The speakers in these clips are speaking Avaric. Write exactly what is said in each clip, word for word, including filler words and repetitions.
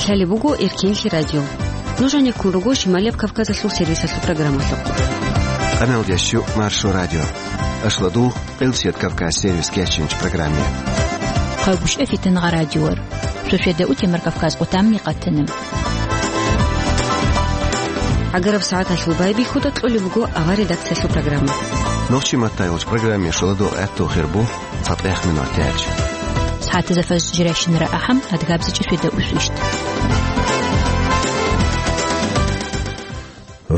Гьале буго Эркенлъи радио. Нуж гьанеккун руго Шималияб Кавказалъул сервисалъул программалъухъ. Къаналдеш щу Маршо радио. Ашладул Къилсият Кавказ сервис кечинч программе. Хъагушев Фитангъа радиор. Шошеда утемар Кавказ къутамни къатана. Агараб сагӀаталъул байбихьуда кьолеб буго авар редакциялъул программа. Нохчи маттайолч программе шоладо гӀатту хирбу. ЦатӀех минутач. СагӀатазда фажр жирайщинара ахӀам, адгабзичӀеб шведа усвищ.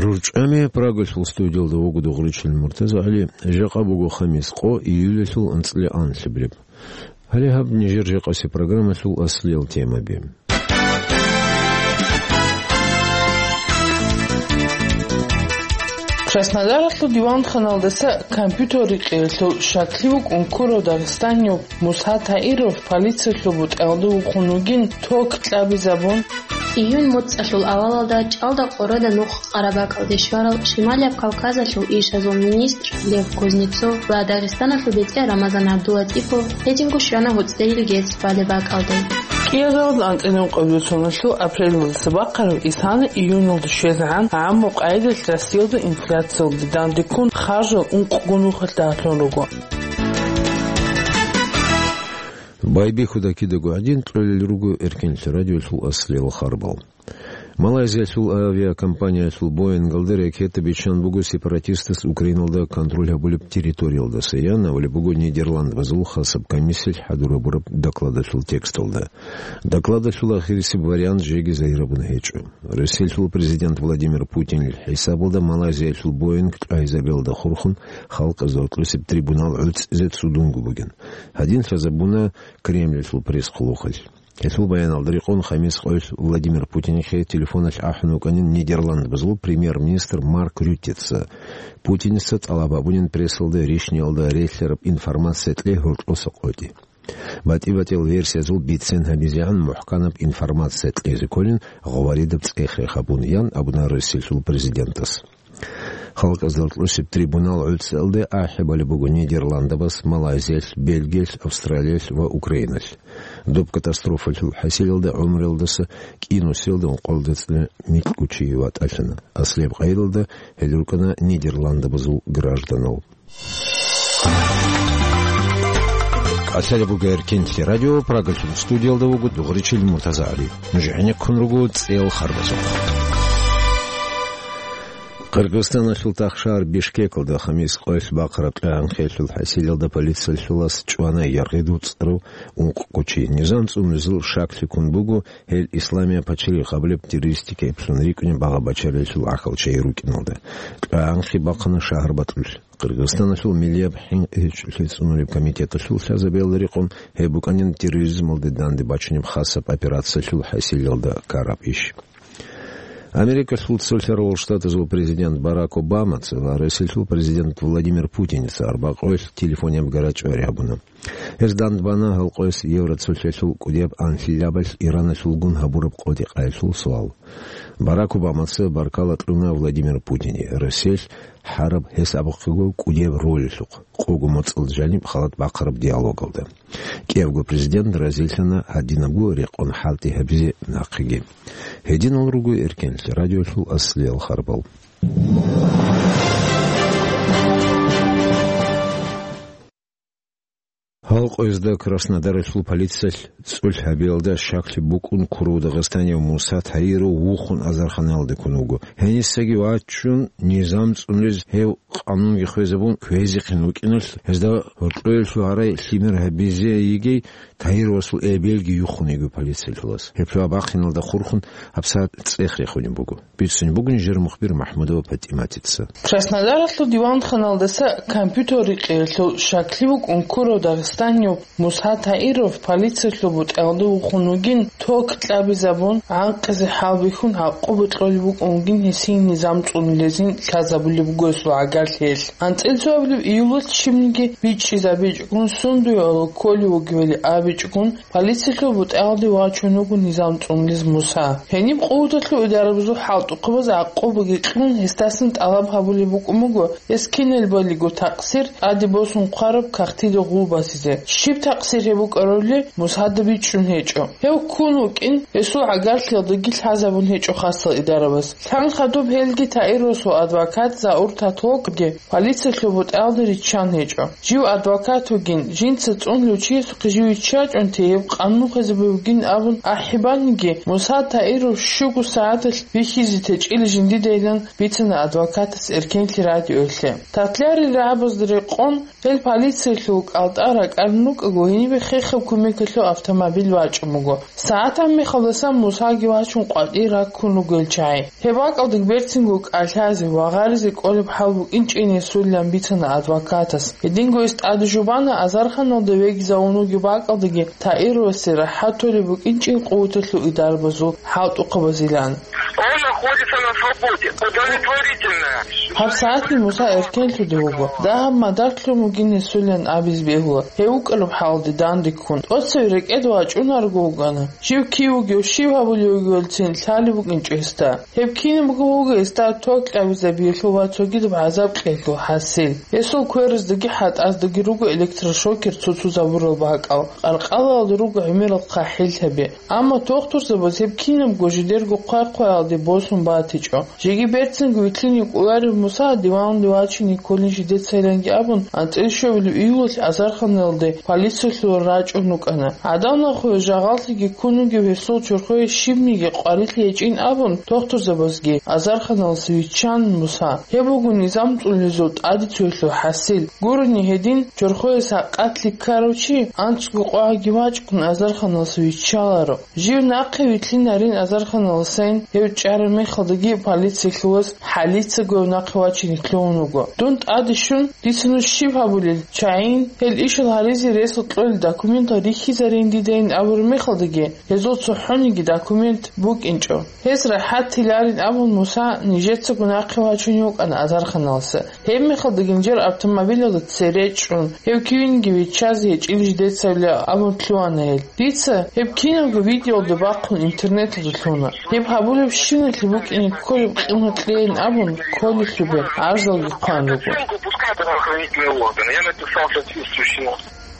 РурчӀами Прагалъул студиялда вуго Дугъричил МуртазагӀали. Жакъа буго хамис къо, июлалъул анцӀила анлъабилеб. Гьале гьаб нижер жакъасе программалъул аслиял темаби. Краснодаралъул диванханалдаса компьютер рикъиялъул щаклъи вукӀун ккурав дагъистанияб Муса Таиров полициялъул бутӀаялда вухун вугин, ток кьабизабун. Июнь моцӀалъул авалалда ЧӀалда Къорада нух Къарабакалде щварал Шималияб Кавказалъул ишазул министр Лев Кузнецов ва Дагъистаналъул бетӀер Рамазан ГӀабдулатӀипов гьединго щвана гьуцӀдейил герц балеб бакӀалде. КӀиазарулда анцӀила ункъабилеб соналъул апрелалдаса бахъараб исана июньалда щвезегӀан гӀаммаб къайдалъ Россиялда инфляциялде данде ккун харжал ункъго нухалъ дагьлъун руго. Байбихьуда кидаго гӀадин кьолел руго Эркенлъи радиолъул аслиял харбал. Малайзиялъул авиакомпаниялъул Боингалда ракета биччан буго сепаратистас Украиналда контроль гьабулеб территориялдаса, ян абулеб буго Нидерландбазул хасаб комиссиялъ хӀадур гьабураб докладалъул тексталда. Докладалъул ахирисеб вариант жеги загьирабун гьечӀо. Россиялъул президент Владимир Путинил хӀисабалда Малайзиялъул Боинг тӀагӀизабиялда хурхун халкъазда гьоркьосеб трибунал гӀуцӀизе цӀудунго бугин. Гьадин лъазабуна Кремльалъул пресс-хъулухъалъ. Гьелъул баяналда рекъон, хамис къоялъ Владимир Путинихъе телефоналъ ахӀун вукӀанин Нидерландбазул премьер-министр Марк Рюттеца. Путиница тӀалаб гьабунин прессалда рищниялда релълъараб информация кье гьоркьоса къотӀи. БатӀи-батӀиял версиязул бицен гьабизегӀан мухӀканаб информация кьезе кколин гъваридаб цӀех-рех гьабун, ян абуна Россиялъул президентас. Халкъазда гьоркьосеб трибунал гӀуцӀиялде ахӀи балеб буго Нидерландабаз, Малайзиялъ, Бельгиялъ, Австралиялъ ва Украиналъ. Доб катастрофалъул хӀасилалда гӀумруялдаса кӀинусиялда ункъоялда цӀуд микьгучи ватӀалъана. Аслияб къайдалда гьел рукӀана Нидерландабазул гражданал. КӀалъалеб буго Эркенлъи радио, Прагалъул студиялда вуго Дугъричил МуртазагӀали. Нуж гӀенеккун руго цӀел харбазухъ. Къиргъизстаналъул тахшагьар Бишкекалда хамис къоялъ бахъараб кьагӀанхъиялъул хӀасилалда полициялъулас чӀвана яргъи дуцӀарав ункъго чи. Низам цӀунулезул шаклъи ккун буго, гьел Исламия пачалихъ абулеб террористика эплъун рикӀкӀунеб багъа-бачаралъул гӀахьал чагӀи рукӀиналда. КьагӀанхъи бахъана шагьар бакьулъ. Къиргъизстаналъул миллияб хӀинкъи-гьечӀолъи цӀунулеб комитеталъул лъазабиялда рекъон, гьеб букӀанин терроризмалде данде бачунеб хасаб операциялъул хӀасилалда ккараб иш. Америкалъул цолъарал Штатазул президент Барак Обамаца ва Россиялъул президент Владимир Путиница арбакъоялъ телефонияб гарачӀвари гьабуна. Гьез дандбана гьал къояс Евроцолъалъул кӀудияб анлъилабалъ Ираналъулгун гьабураб къотӀи-къайилъул суал. Барак Обамаца баркала кьуна Владимир Путине Россиялъ гьараб гьесабухъего кӀудияб ролалъухъ, къого моцӀалда жаниб халат бахъараб диалогалда. КӀиябго президент разилъана гьадинабго рекъон хӀалтӀи гьабизе нахъеги. Гьединал руго Эркенлъи радиолъул аслиял харбал. Гьал къоязда Краснодаралъул полициялъ цӀулъ гьабиялда щаклъи букӀун ккурав дагъистанияв Муса Таиров вухун азарханаялде ккун вуго. Гьенисаги вачун, низам цӀунулез гьев къанунги хвезабун кквезехъин вукӀиналъ, гьезда гьоркьоялъул гьарай лъимер гьабизе йигей Таировасул эбелги юхун йиго полициялъулас. Гьеб жо бахъиналда хурхун гьабсагӀат цӀех рехунеб буго. Бицунеб бугин жер мухбир МахӀмудова ПатӀиматица. Краснодаралъул диванханалдаса компьютер рикъиялъул щаклъи вукӀун ккурав дагъистанияб Муса Таиров полициялъул бутӀаялда вухун вугин, ток кьабизабун, гӀанкъизе хӀалбихьун гӀакъуба кьолеб букӀун вугин гьесие низам цӀунулезин лъазабулеб буго гьесул гӀагарлъиялъ. АнцӀила цоабилеб июлалъ щибниги бичӀчӀизабичӀого сундуе гӀоло кколев вугевали абичӀого, полициялъул бутӀаялде вачун вуго низам цӀунулез Муса. Гьениб къуваталъул идарабазул хӀалтӀухъабаз гӀакъубаги кьун, гьесдасан тӀалаб гьабулеб букӀун буго, гьес киналбалиго такъсир тӀаде босун хъвараб кагътида гъул басизе. Щиб такъсир гьеб букӀарулеб Мусада бичӀчӀун гьечӀо. Гьев ккун вукӀин, гьесул гӀагарлъиялдаги лъазабун гьечӀо хасал идарабаз. Лъан хадуб гьелги Таировасул адвокат Заур Татвокги полициялъул бутӀаялда риччан гьечӀо. Жив адвокат вугин, жинца цӀунулев чиясухъе жив виччачӀунти гьеб къанун хвезабулеб бугин абун ахӀибаниги, Муса Таиров щуго сагӀаталъ бихьизе течӀила жиндидайилан бицана адвокатас Эркенлъи радиоялъе. Татларил рагӀабазда рекъон, гьел полициялъул кӀалтӀа ракӀарун рукӀаго, гьенибе хехаб кумекалъул автомобиль вачӀун буго. СагӀат гьаб мехалдасан Мусаги вачун къватӀие раккун руго гьел чагӀи. Гьеб бакӀалдаги берцинго кӀалъазе ва гъаризе кӀолеб хӀал букӀинчӀин гьесулилан бицана адвокатас. Гьединго гьес тӀаде жубана азарханалда вегизавун вугеб бакӀалдаги Таировасе рахӀат толеб букӀинчӀин къуваталъул идарабазул хӀалтӀухъабазилан. Он находится на свободе. Удовлетворительно. Гьаб сагӀатни Муса эркенлъуде вуго. Дагьаб мадар лъун вугин гьесулилан абизе бегьула. Гьев вукӀараб хӀалалде данде ккун, тӀоцеве рекӀеде вачӀунарого вугони, жив кив вугев, щиб гьабулев вугевицин лъалеб букӀинчӀо гьесда. Гьеб кинабго вуго гьесда ток кьабизабиялъул ва цогидаб гӀазаб кьеялъул хӀасил. Гьесул квераздаги хӀатӀаздаги руго электрошокер цуцузабурал бакӀал, къаркъалалда руго гӀемерал хъахӀиллъаби. Амма тохтурзабаз гьеб кинабго жидерго хъвай-хъваялде босун батичӀо. Жеги берцинго вилълъине кӀоларев Муса диванде вачине кколин жидецайиланги абун, анцӀила щуабилеб июлалъ азарханалде полициялъул рачӀун рукӀана. ГӀадамал нахуе жагъаллъиги ккун вугев гьесул чорхое щибниги къварилъи гьечӀин абун, тохтурзабазги азарханалдаса виччан Муса. Гьеб буго низам цӀунулезул тӀаде цоялъул хӀасил. Гурони гьедин, чорхояс гьакъалъе ккарав чи анцӀго къвагӀаги вачӀун азарханалдаса виччаларо. Жив нахъе вилълъинарин азарханалдасайин гьев чӀараб мехалдаги полициялъул вас хӀалицаго гьев нахъе вачине лъугьун вуго. Дун тӀаде щун, дица нуж щиб гьабулел, чагӀийин, гьел ишал гьаризе ресалъ кьолел документал рихьизарин дидайин абураб мехалдаги, гьезул цохӀониги документ букӀинчӀо. Гьез рахӀат тиларин абун Муса нижецаго нахъе вачунев вукӀана азарханалдаса. Гьеб мехалда гинжер автомобилалда цере чӀун, гьев кивинги виччазе гьечӀила жидецайилан абун лъугьана гьел. Дица гьеб кинабго видеоялда бахъун интернеталда лъуна. Гьеб гьабулебщиналъе букӀине кколеб къимат кьейин абун, кколелъубе гӀарзалги хъван руго. Оценку пускай правоохранительные органы. Я написал соответствующий.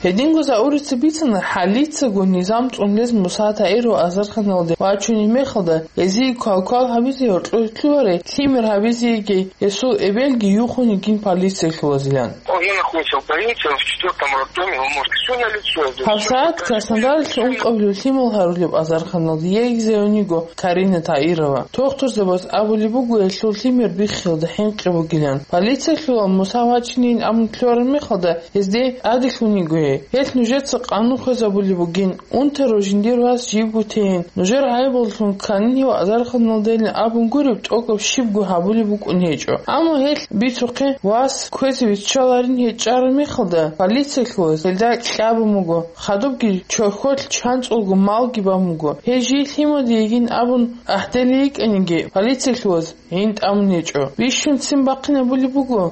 Гьединго Заурица бицана, хӀалицаго низам цӀунулез Муса Таиров азарханалде вачунеб мехалда, гьезие квалквал гьабизе гьоркьор лъугьарай, лъимер гьабизеги гьесул эбелги юхун йигин полициялъул вазилан. Он находится в больнице, он в четвёртом роддоме, он может всё на лицо. ГьабсагӀат Краснодаралъ ункъабилеб лъимал гьарулеб азарханалде йигизавуниго Карина Таирова. Тохтурзабаз абулеб буго гьелъул лъимер биххиялда хӀинкъи бугилан. Полициялъулал Муса вачинин абун лъугьараб мехалда, гьезде тӀаделъун йиго гьей. Гьелъ нужеца къанун хвезабулеб бугин, унтарав жиндир вас живго тейин, нужер гӀайибаллъун кканин гьев азарханалдайилан абун гуреб тӀокӀаб щибго гьабулеб букӀун гьечӀо. Амма гьелъ бицухъе вас кквезе виччаларин гьей чӀараб мехалда, полициялъул вас гьелда кьабун буго, хадубги чорхолъ чанцӀулго малги бан буго. Гьей жий лъимаде йигин абун ахӀделей йикӀаниги, полициялъул вас гӀин тӀамун гьечӀо. Бищун ццин бахъинабулеб буго.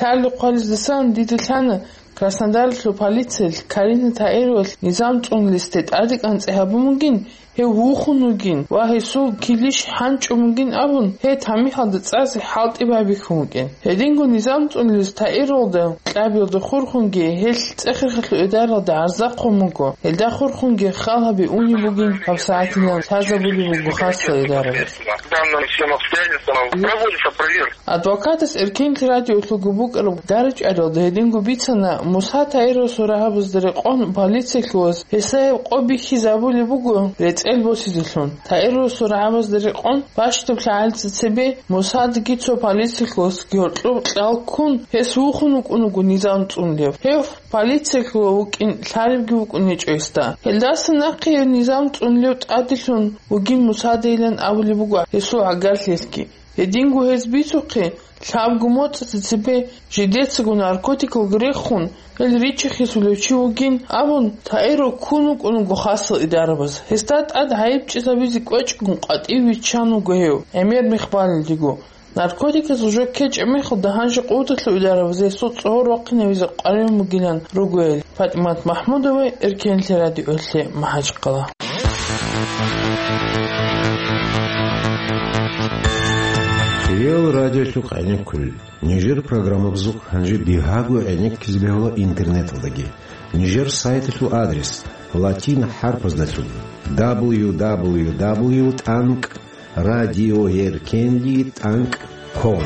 Лъалеб хъвалездасан дида лъана Краснодаралъул полициялъ Карина Таировалъ низам цӀунулесде тӀаде кӀанцӀи гьабун бугин, гьев вухун вугин ва гьесул килищ хӀанчӀун бугин абун, гьей тамихӀалда цӀазе хӀалтӀи байбихьун вукӀин. Гьединго низам цӀунулез Таировалда кьабиялда хурхунги гьелъ ЦӀехирхъалъул эдаралда гӀарза хъун буго. Гьелда хурхунги хал гьаби унеб бугин, гьабсагӀатилан лъазабулеб буго хасал эдаралъ. Данным всем обстоятельствам проводится проверка. Адвокатас Эркенлъи радиолъулго букӀараб дарачӀаралда гьединго бицана, Муса Таировасул рагьабазда рекъон полициялъул вас гьесда гьеб къо бихьизабулеб буго рецӀел босизелъун. Таировасул рагьабазда рекъон бащдаб лъагӀалица цебе Мусадаги цо полициялъул васги гьоркьоб кьал ккун, гьес вухун вукӀун вуго низам цӀунулев. Гьев полициялъул вукӀин лъалебги вукӀун гьечӀо гьесда. Гьелдаса нахъе гьев низам цӀунулев тӀаделъун вугин Мусадайилан абулеб буго гьесул гӀагарлъиялъги. Гьединго гьез бицухъе, лъабго моцӀалъ цебе жидецаго наркотикалги рехун, гьел риччахъесулев чи вугин абун, Таиров ккун вукӀун вуго хасал идарабаз. Гьесда тӀад гӀайиб чӀезабизе кӀвечӀого къватӀиве виччан вуго гьев, гӀемер мех балелдего. Наркотикасул жо ккечӀеб мехалда гьанже къуваталъул идарабаз гьесул цӀогьор вахъинавизе къваригӀун бугилан руго гьел. ПатӀимат МахӀмудова, Эркенлъи радиоялъе, МахӀачхъала. Риал радиолъухъ гӀенеккулел. Нижер программабазухъ гьанже бигьаго гӀенеккизе бегьула интернеталдаги. Нижер сайталъул адрес: латин хӀарпаздалъун: дабл ю дабл ю дабл ю тӀанкӀ радиоеркенлъи тӀанкӀ ком.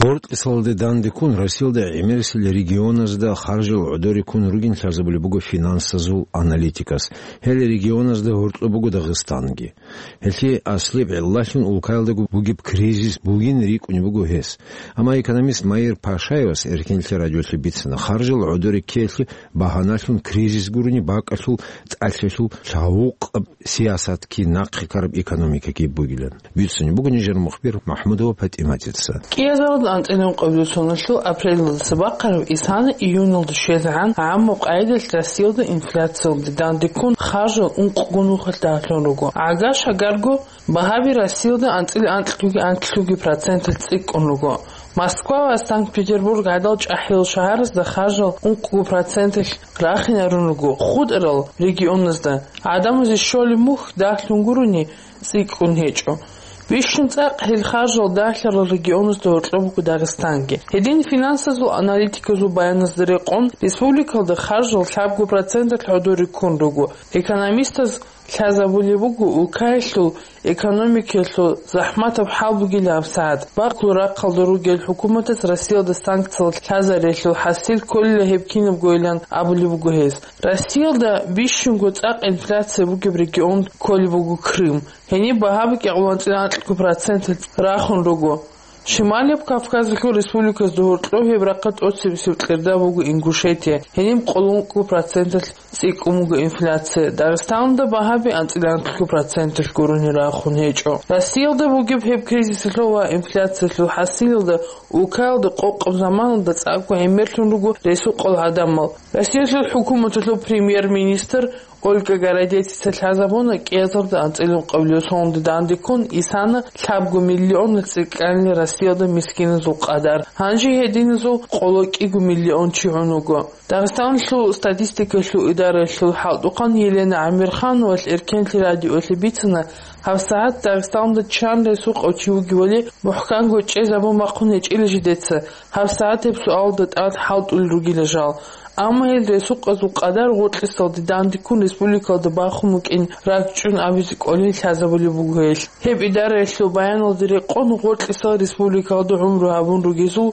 Гъоркьисалде дандеккун Россиялда гӀемерисел регионазда харжал гӀодоре ккун ругин лъазабулеб буго финансазул аналитикас. Гьел регионазда гьоркьоб буго Дагъистанги. Гьелъие аслияб гӀиллалъун улкаялдаго бугеб кризис бугин рикӀкӀунеб буго гьес. Амма экономист Маир Пашаевас Эркенлъи радиолъе бицана, харжал гӀодоре ккеялъе багьаналъун кризис гурони, бакӀалъул тӀалъиялъул лъавукъаб сиясатги нахъе ккараб экономикаги бугилан. Бицунеб буго нижер мухбир МахӀмудова ПатӀиматица. КӀиазарда анцӀила ункъабилеб соналъул апрелалдаса бахъараб исана июналда щвезегӀан гӀаммаб къайдалъ Россиялда инфляциялде дандеккун харжал ункъго нухалъ дагьлъун руго. ГӀагар-шагарго багьаби Россиялда анцӀила анкьлъуги анкьлъуги проценталъ цӀикӀкӀун руго. Москва ва Санкт-Петербург гӀадал чӀахӀиял шагьаразда харжал ункъго проценталъ рахинарун руго, хутӀарал регионазда гӀадамазе щолеб мухь дагьлъун гурони цӀикӀкӀун гьечӀо. Бищун цӀакъ гьел харжал дагьлъарал регионазда гьоркьоб буго Дагъистанги. Гьедин финансазул аналитиказул баяназда рекъон, республикалда харжал лъабго проценталъ гӀодоре ккун руго. Экономистаз лъазабулеб буго улкаялъул экономикаялъул захӀматаб хӀал бугилан гьабсагӀат. Бакълул рахъалда ругел хӀукуматас Россиялда санкциялъ лъазариялъул хӀасил кколила гьеб кинабгойилан абулеб буго гьес. Россиялда бищунго цӀакъ инфляция бугеб регион кколеб буго Крым. Гьениб багьаби кӀикъоялда анкьго проценталъ рахун руго. Шималияб Кавказалъул республиказда гьоркьоб гьеб рахъалъ тӀоцебесеб кьерда буго Ингушетия, гьениб къоло ункъго проценталъ цӀикӀкӀун буго инфляция. Дагъистаналда багьаби анцӀила анкьго проценталъ гурони рахун гьечӀо. Россиялда бугеб гьеб кризисалъул ва инфляциялъул хӀасилалда улкаялда къокъаб заманалда цӀакъго гӀемерлъун руго ресукъал гӀадамал. Россиялъул хӀукуматалъул премьер-министр Ольга Городецица лъазабуна, кӀиазарда анцӀила ункъабилеб соналде дандеккун исана лъабго миллионалъ цӀикӀкӀанила Россиялда мискиназул къадар. Гьанже гьединазул къоло кӀиго миллион чи гӀун вуго. Дагъистаналъул статистикалъул идараялъул хӀалтӀухъан Елена ГӀамирхановалъ Эркенлъи радиолъе бицана, гьабсагӀат Дагъистаналда чан ресукъав чи вугевали мухӀканго чӀезабун бахъун гьечӀила жидеца, гьабсагӀат гьеб суалалда тӀад хӀалтӀулел ругила жал. Амма гьел ресукъазул къадар гъоркьисалде дандеккун республикалда бахун букӀин ракӀчӀун абизе кӀолин лъазабулеб буго гьелъ. Гьеб идараялъул баяналда рекъон, гъоркьисал республикалда гӀумру гьабун ругезул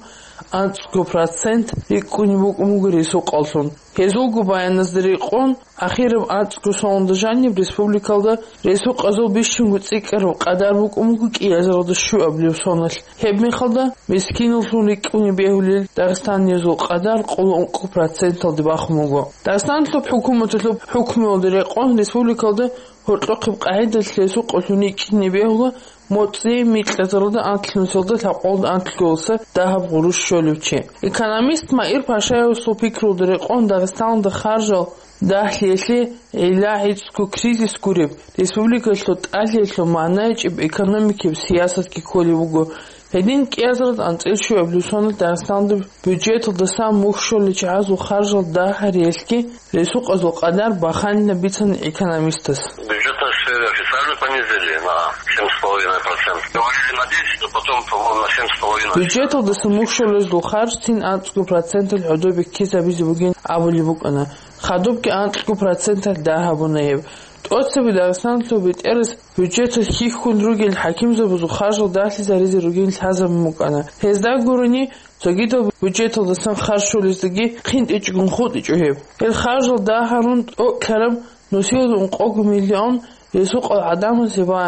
анцӀго процент рикӀкӀунеб букӀун буго ресукъаллъун. Гьезулго баяназда рекъон, ахираб анцӀго соналда жаниб республикалда ресукъазул бищунго цӀикӀкӀараб къадар букӀун буго кӀиазаралда щуабилеб соналъ. Гьеб мехалда мискиналлъун рикӀкӀунеб бегьулел дагъистаниязул къадар къоло ункъго проценталде бахун буго. Дагъистаналъуб хӀукуматалъуб хӀукмуялда рекъон республикалда гьоркьохъеб къагӀидалъ ресукъаллъун рикӀкӀине бегьула моцӀи микьазаралда анлънусиялда лъабкъоялда анлъго дагьаб гъурущ щолев чи. Экономист Маир Пашаевасул пикрулда рекъон, Дагъистаналда харжал дагьлъиялъе гӀилла гӀицӀго кризис гуреб, республикалъул тӀалъиялъул магӀна гьечӀеб экономикияб сиясатги кколеб буго. Гьедин кӀиазаралда анцӀила щуабилеб соналъ Дагъистаналда бюджеталдасан мухь щолел чагӀазул харжал дагьариялъги ресукъазул къадар баханила бицана экономистас. Бюджет нашей официально понизили на семь с половиной процентов. Говорили на десять, но потом, по-моему, на семь с половиной. Бюджеталдаса мухь щолезул харж цин анцӀго проценталъ гӀодобе ккезабизе бугин абулеб букӀана. Хадубги анкьго проценталъ дагь гьабуна гьеб. ТӀоцебе Дагъистаналъул бетӀерас бюджеталъ хьихьун ругел хӀакимзабазул харжал дагьлъизаризе ругин лъазабун букӀана. Гьезда гурони, цогидал бюджеталдасан харж щолездаги хъинтӀичӀого хутӀичӀо гьеб. Гьел харжал дагь гьарун тӀокӀлъараб нусиялда ункъого миллион ресукъал гӀадамазе ва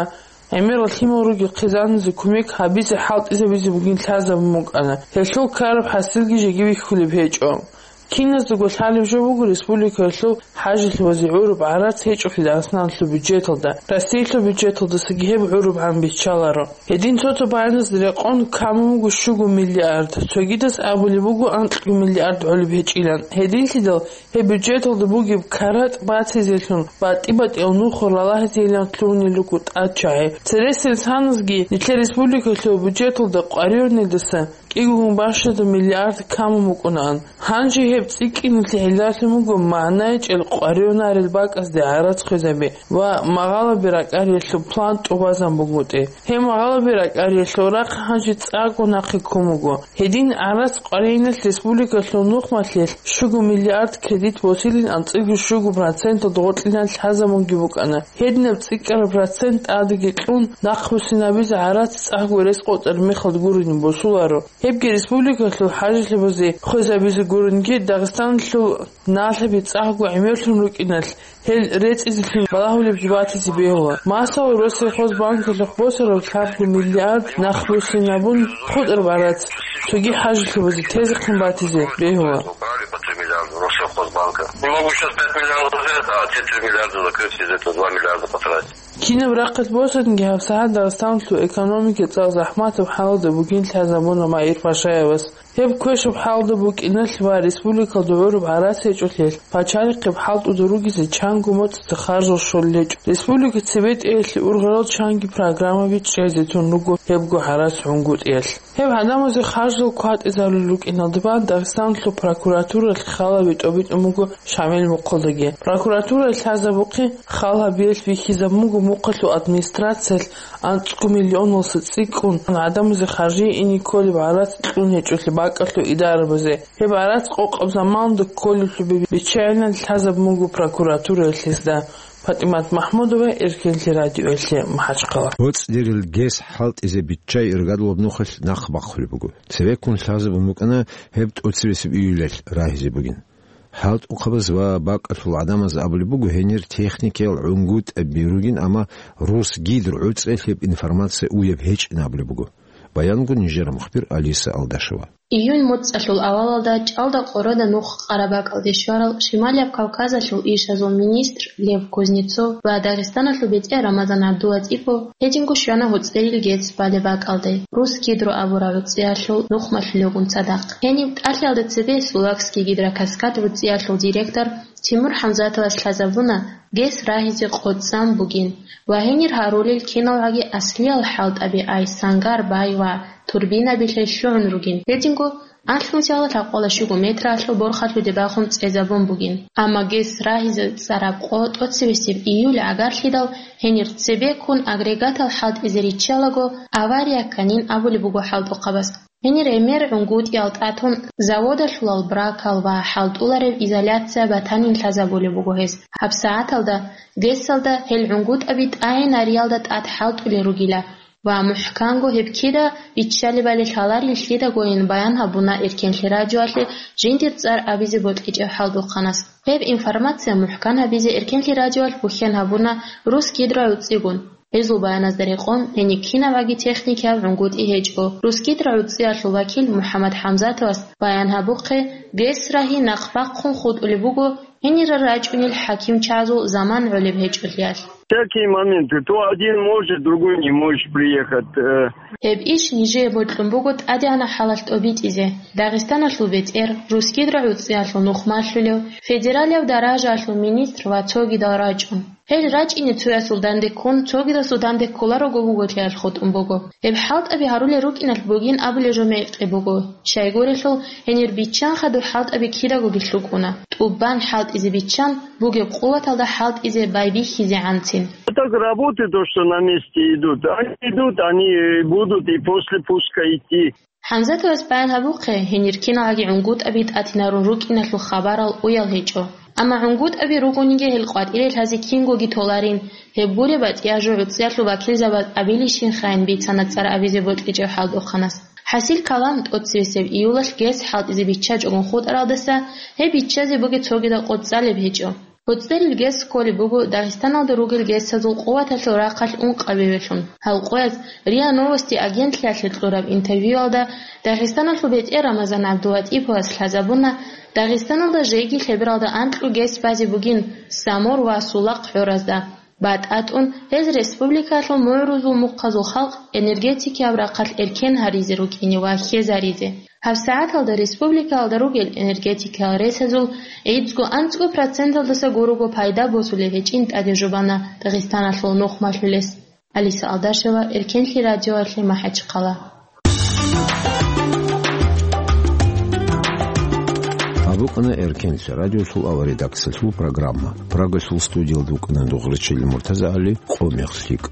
гӀемерал лъимал ругел хъизаназе кумек гьабизе хӀалтӀизабизе бугин лъазабун букӀана. Гьелъул ккараб хӀасилги жеги бихьулеб гьечӀо. Киназдаго лъалеб жо буго республикаялъул хӀажилъи ва гӀураб гӀарац гьечӀолъи Дагъистаналъул бюджеталда, Россиялъул бюджеталдасаги гьеб гӀурабгӀан биччаларо. Гьедин цо-цо баяназда рекъон камун буго щуго миллиард, цогидаз абулеб буго анкьго миллиард гӀолеб гьечӀилан. Гьединлъидал гьеб бюджеталда бугеб каратӀ бацизелъун батӀи-батӀиял нухал ралагьизейилан лъугьунел руго тӀад чагӀи. Цересел саназги нилъер республикалъул бюджеталда къваригӀунелдаса цӀикӀкӀун бащадаб миллиард камун букӀунаан. Гьанже гьеб цӀикӀкӀиналъе гӀиллалъун буго магӀна гьечӀел къваригӀунарел бакӀазде гӀарац хвезаби ва магъалаби ракӀариялъул план тӀубазабун бугони. Гьеб магъалаби ракӀариялъул рахъ гьанже цӀакъго нахъе ккун буго. Гьедин гӀарац къваригӀуналъ республикалъул нухмалъилъ щуго миллиард кредит босилин, анцӀила щуго проценталда гъоркьиналъ лъазабунги букӀана. Гьединаб цӀикӀкӀараб процент тӀадеги кьун, нахъбуссинабизе гӀарац цӀакъго рес къотӀараб мехалда гурони босуларо. Гьебги республикалъул хӀажилъабазе хвезабизе гурониги, Дагъистаналъул налъаби цӀакъго гӀемерлъун рукӀиналъ, гьел рецӀизелъун балагьулеб жо батизе бегьула. Масала, Россельхозбанкалъухъ босараб лъабго миллиард нахъбуссинабун хутӀараб гӀарац цоги хӀажилъабазе тезехъин батизе бегьула. Убрали по три миллиарда Россельхозбанка. Не могу сейчас пять миллиардов взять, а те три миллиарда закрыть, из этого два миллиарда потратить. Кинаб рахъалъ босанги, гьабсагӀат Дагъистаналъул экономика цӀакъ захӀматаб хӀалалда бугин лъазабуна Маир Пашаевас. Гьеб квешаб хӀалалда букӀиналъ ва республикалда гӀураб гӀарац гьечӀолъиялъ, пачалихъе хӀалтӀуда ругезе чанго моцӀалда харжал щолел гьечӀо. Республика цебетӀеялъе ургъарал чанги программаби чӀезе тун руго гьебго гӀарац гӀунгутӀиялъ. Гьеб гӀадамазе харжал кватӀизарулел рукӀиналда бан Дагъистаналъул прокуратуралъ халаби тӀобитӀун буго Шамил мухъалдаги. Прокуратуралъ лъазабухъе хал гьабиялъ бихьизабун буго мухъалъул администрациялъ анцӀго миллионалдаса цӀикӀкӀун гӀадамазе харжие ине кколеб гӀарац кьун гьечӀолъи бакӀалъул идарабазе. Гьеб гӀарац къокъаб заманалда кколеблъун биччагӀинан лъазабун буго прокуратураялъ гьезда. ПатӀимат МахӀмудова, Эркенлъи радиоялъе МахӀачхъала. ГьоцӀдерил гес хӀалтӀизе биччай иргадулаб нухалъ нахъ бахъулеб буго. Цебеккун лъазабун букӀана гьеб тӀоцебесеб июлалъ рагьизе бугин. ХӀалтӀухъабаз ва бакӀалъул гӀадамаз абулеб буго, гьенир техникиял гӀунгутӀаби ругин, амма Русгидро гӀуцӀиялъ гьеб информация уяб гьечӀин абулеб буго. Баянго нижер мухбир Алиса Алдашева. Июнь моцӀалъул авалалда чӀалда къорада нух къарабакӀалде щварал Шималияб Кавказалъул ишазул министр Лев Кузнецов ва Дагъистаналъул бетӀер Рамазан ГӀабдулатӀипов гьединго щвана гьоцӀерил гес балеб бакӀалде, Русгидро абураб гӀуцӀиялъул нухмалъулевгун цадахъ. Гьениб тӀалъиялда цебе Сулакский гидрокаскад гӀуцӀиялъул директор Тимур ХӀамзатовас лъазабуна гес рагьизе къоцӀан бугин ва гьенир гьарулел киналгӀаги аслиял хӀалтӀаби ай сангар бай ва турбинабилъе лъугӀун ругин. Гьединго анлънусиялда лъабкъоялда щуго метралъул борхалъуде бахун цӀезабун бугин. Амма гес рагьизе цӀараб къо тӀоцебесеб июль гӀагарлъидал гьенир цебеккун агрегатал хӀалтӀизе риччалаго, авария кканин абулеб буго хӀалтӀухъабаз. Гьенир гӀемер гӀунгутӀиял тӀатун, заводалъулал бракал ва хӀалтӀуларев изоляция батанин лъазабулеб буго гьез. ГьабсагӀаталда гесалда гьел гӀунгутӀаби тӀагӀинариялда тӀад хӀалтӀулел ругила ва мухӀканго гьеб кида биччалебали лъаларин лъидагойин баян гьабуна Эркенлъи радиоялъе жиндир цӀар абизе бокьичӀев хӀалтӀухъанас. Гьеб информация мухӀкан гьабизе Эркенлъи радиоялъ бухьен гьабуна Русгидро гӀуцӀигун. Гьезул баяназда рекъон, гьениб кинабгӀаги техникиял гӀунгутӀи гьечӀо. Русгидро гӀуцӀиялъул вакил МухӀаммад ХӀамзатовас баян гьабухъе, гес рагьи нахъ бахъун хутӀулеб буго, гьенирал рачӀунел хӀакимчазул заман гӀолеб гьечӀолъиялъ. Всякие моменты. То один может, другой не может приехать. Э, Гьеб иш нижее бокьун буго тӀадегӀанаб хӀалалъ тӀобитӀизе. Дагъистаналъул бетӀер, Русгидро гӀуцӀиялъул нухмалъулев, федералияб даражаялъул министр ва цогидал рачӀун. Гьел рачӀине цоясул данде ккун, цогидасул данде кколарого буготлъиялъ хутӀун буго. Гьеб хӀалтӀаби гьарулел рукӀиналъ бугин абулеб жо мекъи буго. Щайгурелъул, гьенир биччан хадуб хӀалтӀаби кидагоги лъукӀуна. ТӀубан хӀалтӀизе биччан, бугеб къуваталда хӀалтӀизе байбихьизегӀанцин. А так работы, то, что на месте идут, они идут, они будут и после пуска идти. ХӀамзатовас баян гьабухъе, гьенир киналгӀаги гӀунгутӀаби тӀатинарун рукӀиналъул хабарал уял гьечӀо. Амма гӀунгутӀаби ругониги гьел къватӀире лъазе кингоги толарин, гьеб гуреб батӀияб жо гӀуцӀиялъул вакилзабаз абилищинхайин бицана цӀар абизе бокьичӀев хӀалтӀухъанас. ХӀасил калам, тӀоцебесеб июлалъ гес хӀалтӀизе биччачӀогун хутӀаралдаса гьеб биччазе бугеб цогидаб къо цӀалеб гьечӀо. ГьоцӀерил гес кколеб буго Дагъистаналда ругел гесазул къуваталъул рахъалъ ункъабилеб лъун. Гьал къояз РИА Новости агентлъиялъе кьураб интервьюялда Дагъистаналъул бетӀер Рамазан ГӀабдулатӀиповас лъазабуна, Дагъистаналда жеги лъебералда анкьго гес базе бугин Самур ва Сулахъ гӀоразда. БатӀа тӀун гьез республикалъул мугӀрузул мухъазул халкъ энергетикияб рахъалъ эркен гьаризе рукӀине ва хьезаризе. ГьабсагӀаталда республикалда ругел энергетикиял ресазул гӀидзго анцӀго проценталдаса гурого пайда босулеб гьечӀин тӀаде жубана Дагъистаналъул нухмалъулес. Алиса Алдашева, Эркенлъи радиоялъе, МахӀачхъала. Букъана Эркенлъа радиосул авария редакциялъул программа. Прагалъул студиялда вукӀана дугърачил МуртазагӀали, къо мех лъикӀ.